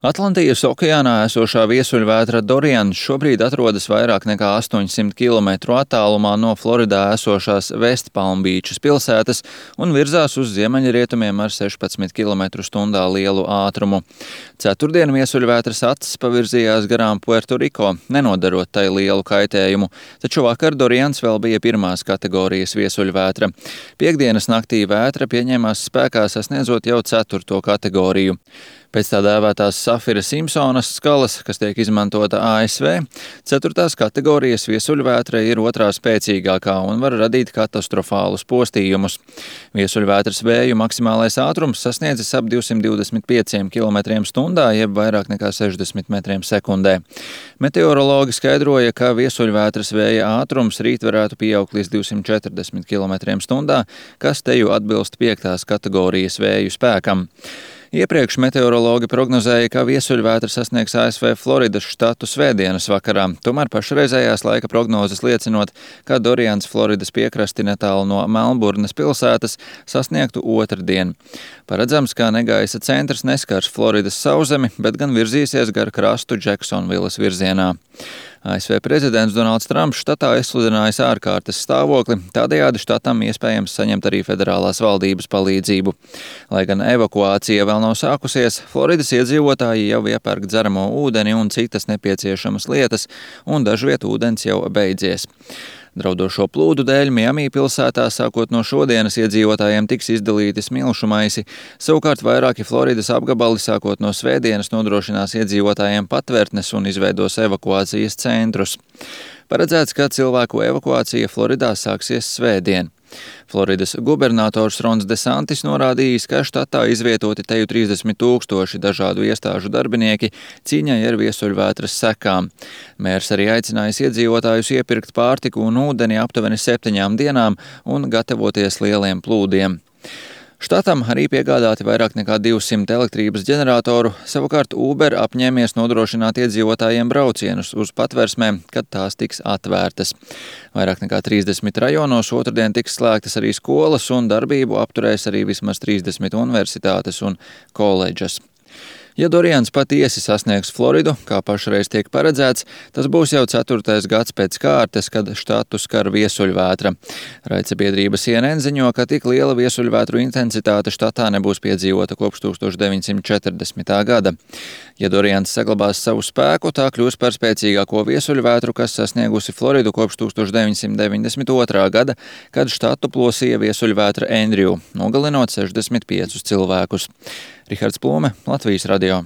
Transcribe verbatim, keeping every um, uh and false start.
Atlantijas okeānā esošā viesuļvētra Dorians šobrīd atrodas vairāk nekā astoņsimt kilometru attālumā no Floridā esošās Vestpalmbīčas pilsētas un virzās uz ziemeļrietumiem ar sešpadsmit kilometru stundā lielu ātrumu. Ceturtdien viesuļvētras acis pavirzījās garām Puertoriko, nenodarot tai lielu kaitējumu, taču vakar Dorians vēl bija pirmās kategorijas viesuļvētra. Piektdienas naktī vētra pieņēmās spēkā sasniedzot jau ceturto kategoriju. Pēc tā dēvētās Safira Simpsonas skalas, kas tiek izmantota A S V, ceturtās kategorijas viesuļvētra ir otrā spēcīgākā un var radīt katastrofālus postījumus. Viesuļvētras vēju maksimālais ātrums sasniedzis ap divsimt divdesmit pieciem kilometriem stundā, jeb vairāk nekā sešdesmit metriem sekundē. Meteorologi skaidroja, ka viesuļvētras vēja ātrums rīt varētu pieaugt līdz divsimt četrdesmit kilometriem stundā, kas teju atbilst piektās kategorijas vēju spēkam. Iepriekš meteorologi prognozēja, ka viesuļvētra sasniegs A S V Floridas štatu svētdienas vakarā, tomēr pašreizējās laika prognozes liecinot, ka Dorians Floridas piekrasti netālu no Melburnas pilsētas sasniegtu otrdien. Paredzams, ka negaisa centrs neskars Floridas sauszemi, bet gan virzīsies gar krastu Džeksonvilas virzienā. A S V prezidents Donalds Trumps štatā izsludinājis ārkārtas stāvokli, tādējādi štatam iespējams saņemt arī federālās valdības palīdzību. Lai gan evakuācija vēl nav sākusies, Floridas iedzīvotāji jau iepērk dzeramo ūdeni un citas nepieciešamas lietas, un dažviet ūdens jau beidzies. Draudošo plūdu dēļ Miami pilsētā sākot no šodienas iedzīvotājiem tiks izdalīti smilšu maisi, savukārt vairāki Floridas apgabali sākot no svētdienas nodrošinās iedzīvotājiem patvērtnes un izveidos evakuācijas centrus. Paredzēts, ka cilvēku evakuācija Floridā sāksies svētdien. Floridas gubernators Rons DeSantis norādījis, ka štatā izvietoti teju trīsdesmit tūkstoši dažādu iestāžu darbinieki cīņai ar viesuļvētras sekām. Mērs arī aicinājis iedzīvotājus iepirkt pārtiku un ūdeni aptuveni septiņām dienām un gatavoties lieliem plūdiem. Štatam arī piegādāti vairāk nekā divsimt elektrības ģeneratoru, savukārt Uber apņēmies nodrošināt iedzīvotājiem braucienus uz patversmēm, kad tās tiks atvērtas. Vairāk nekā trīsdesmit rajonos otrdien tiks slēgtas arī skolas un darbību apturēs arī vismaz trīsdesmit universitātes un koledžas. Ja Dorians patiesi sasniegs Floridu, kā pašreiz tiek paredzēts, tas būs jau ceturtais gads pēc kārtas, kad štatu skar viesuļvētra. Raidsabiedrība C N N ziņo, ka tik liela viesuļvētru intensitāte štatā nebūs piedzīvota kopš tūkstoš deviņsimt četrdesmitā gada. Ja Dorians saglabās savu spēku, tā kļūs par spēcīgāko viesuļvētru, kas sasniegusi Floridu kopš tūkstoš deviņsimt deviņdesmit otrā gada, kad štatu plosīja viesuļvētra Andrew, nogalinot sešdesmit piecus cilvēkus. Rihards Plūme, Latvijas radio.